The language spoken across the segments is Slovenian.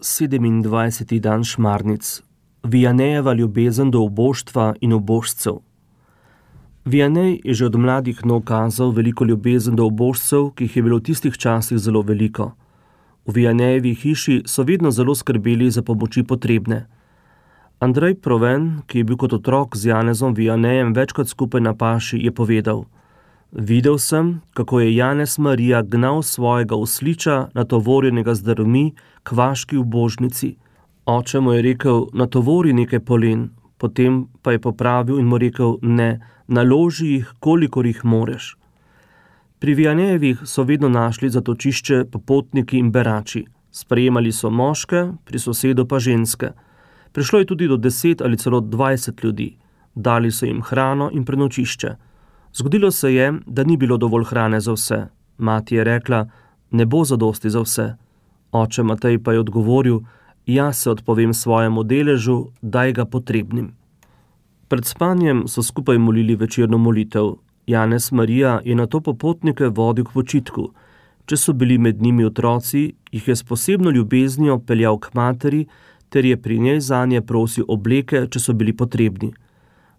27. dan Šmarnic. Vianejeva ljubezen do uboštva in ubožcev. Vianej je že od mladih nog kazal veliko ljubezen do ubožcev, ki jih je bilo v tistih časih zelo veliko. V Vianejevi hiši so vedno zelo skrbeli za pomoči potrebne. Andrej Proven, ki je bil kot otrok z Janezom Vianejem večkrat skupaj na paši, je povedal: Videl sem, kako je Janez Marija gnal svojega osliča, natovorjenega z drvmi, k vaški ubožnici. Oče mu je rekel: natovori nekaj polen, potem pa je popravil in mu rekel: ne, naloži jih, kolikor jih moreš. Pri Vianejevih so vedno našli zatočišče popotniki in berači. Sprejemali so moške, pri sosedu pa ženske. Prišlo je tudi do 10 ali celo 20 ljudi. Dali so jim hrano in prenočišče. Zgodilo se je, da ni bilo dovolj hrane za vse. Mati je rekla: ne bo zadosti za vse. Oče Matej pa je odgovoril: jaz se odpovem svojemu deležu, daj ga potrebnim. Pred spanjem so skupaj molili večerno molitev. Janez Marija je nato popotnike vodil k počitku. Če so bili med njimi otroci, jih je s posebno ljubeznijo peljal k materi, ter je pri njej zanje prosil obleke, če so bili potrebni.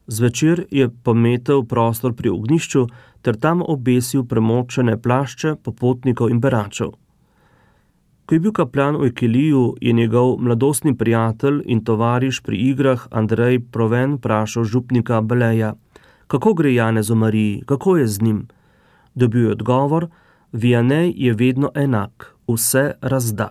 Zvečer je pometel prostor pri ognjišču ter tam obesil premočene plašče popotnikov in beračev. Ko je bil kapljan v Ekiliju, je njegov mladostni prijatelj in tovariš pri igrah Andrej Proven vprašal župnika Beleja: kako gre Janezu Mariji, kako je z njim? Dobil je odgovor: Vianej je vedno enak, vse razda.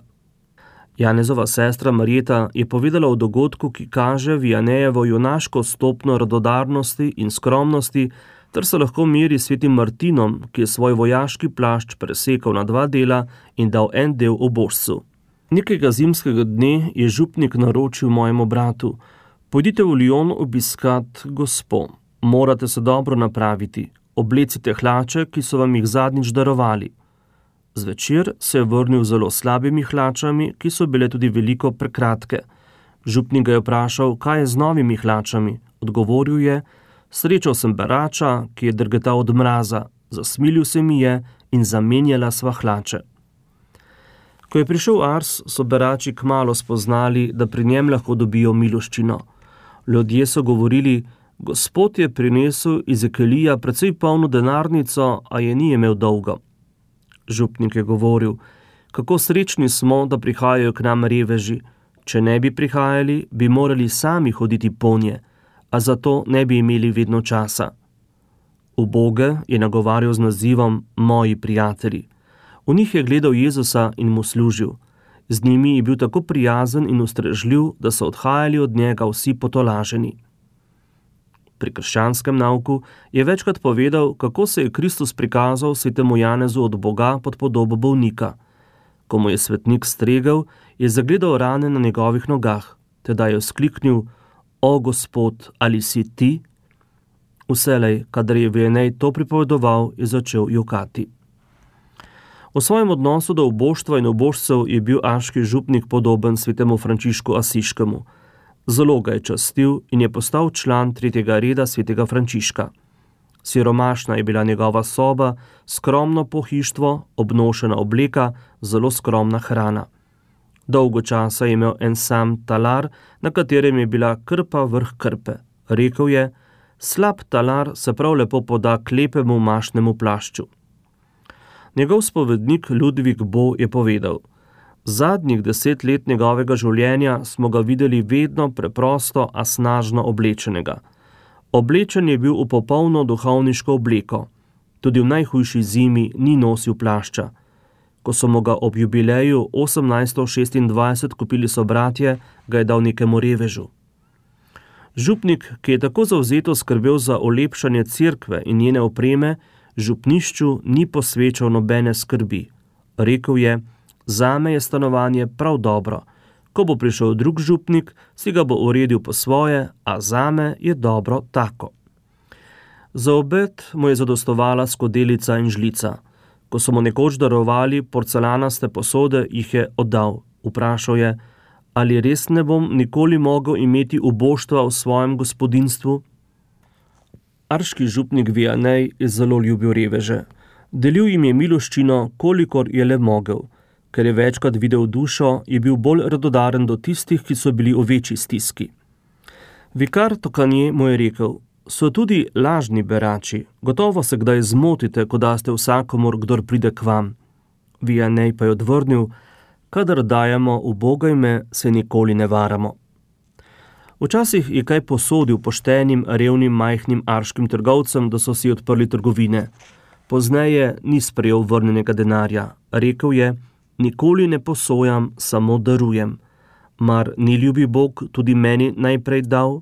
Janezova sestra Marjeta je povedala o dogodku, ki kaže Vianejevo junaško stopno radodarnosti in skromnosti, ter se lahko meri s svetim Martinom, ki je svoj vojaški plašč presekal na 2 dela in dal en del ubožcu. Nekega zimskega dne je župnik naročil mojemu bratu: pojdite v Lyon obiskat gospo. Morate se dobro napraviti, oblecite hlače, ki so vam jih zadnjič darovali. Zvečer se je vrnil z zelo slabimi hlačami, ki so bile tudi veliko prekratke. Župnik ga je vprašal, kaj je z novimi hlačami. Odgovoril je: srečal sem berača, ki je drgetal od mraza, zasmilil se mi je in zamenjala sva hlače. Ko je prišel Ars, so berači kmalu spoznali, da pri njem lahko dobijo miloščino. Ljudje so govorili: Gospod je prinesel iz Ekilija precej polno denarnico, a je ni imel dolgo. Župnik je govoril: kako srečni smo, da prihajajo k nam reveži. Če ne bi prihajali, bi morali sami hoditi ponje, a zato ne bi imeli vedno časa. Uboge je nagovarjal z nazivom moji prijatelji. V njih je gledal Jezusa in mu služil. Z njimi je bil tako prijazen in ustrežljiv, da so odhajali od njega vsi potolaženi. Pri krščanskem nauku je večkrat povedal, kako se je Kristus prikazal svetemu Janezu od Boga pod podobo bolnika. Ko mu je svetnik stregel, je zagledal rane na njegovih nogah, teda je vzkliknil: o Gospod, ali si ti? Vselej, kadar je Vianej to pripovedoval, je začel jokati. V svojem odnosu do uboštva in ubožcev je bil aški župnik podoben svetemu Frančišku Asiškemu. Zelo ga je častil in je postal član 3. reda svetega Frančiška. Siromašna je bila njegova soba, skromno pohištvo, obnošena obleka, zelo skromna hrana. Dolgo časa je imel en sam talar, na katerem je bila krpa vrh krpe. Rekel je: slab talar se prav lepo poda k lepemu mašnemu plašču. Njegov spovednik Ludvik Bo je povedal: zadnjih 10 let njegovega življenja smo ga videli vedno preprosto, a snažno oblečenega. Oblečen je bil v popolno duhovniško obleko. Tudi v najhujši zimi ni nosil plašča. Ko so mu ga ob jubileju 1826 kupili sobratje, ga je dal nekemu revežu. Župnik, ki je tako zavzeto skrbel za olepšanje cerkve in njene opreme, župnišču ni posvečal nobene skrbi. Rekel je: zame je stanovanje prav dobro. Ko bo prišel drug župnik, si ga bo uredil po svoje, a zame je dobro tako. Za obed mu je zadostovala skodelica in žlica. Ko so mu nekoč darovali porcelanaste posode, jih je oddal. Vprašal je: ali res ne bom nikoli mogel imeti uboštva v svojem gospodinstvu? Arški župnik Vianej je zelo ljubil reveže. Delil jim je miloščino, kolikor je le mogel. Ker je večkrat videl dušo, je bil bolj radodaren do tistih, ki so bili v večji stiski. Vikar Tokanje mu je rekel: so tudi lažni berači, gotovo se kdaj zmotite, ko daste vsakomur, kdor pride k vam. Vianney pa je odvrnil: kadar dajemo ubogajme, se nikoli ne varamo. Včasih je kaj posodil poštenim, revnim, majhnim arškim trgovcem, da so si odprli trgovine. Pozneje ni sprejel vrnenega denarja. Rekel je: nikoli ne posojam, samo darujem. Mar ni ljubi Bog tudi meni najprej dal?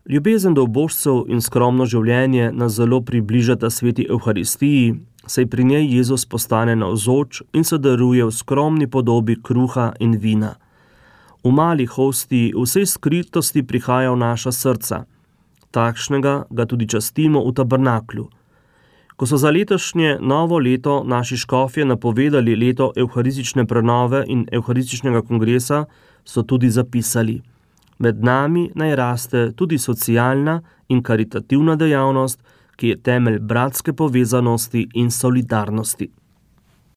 Ljubezen do ubožcev in skromno življenje nas zelo približata sveti Evharistiji, saj pri njej Jezus postane navzoč in se daruje v skromni podobi kruha in vina. V mali hostiji v vsej skritosti prihaja v naša srca. Takšnega ga tudi častimo v tabernaklju. Ko so za letošnje novo leto naši škofje napovedali leto evharistične prenove in evharističnega kongresa, so tudi zapisali: med nami naj raste tudi socialna in karitativna dejavnost, ki je temelj bratske povezanosti in solidarnosti.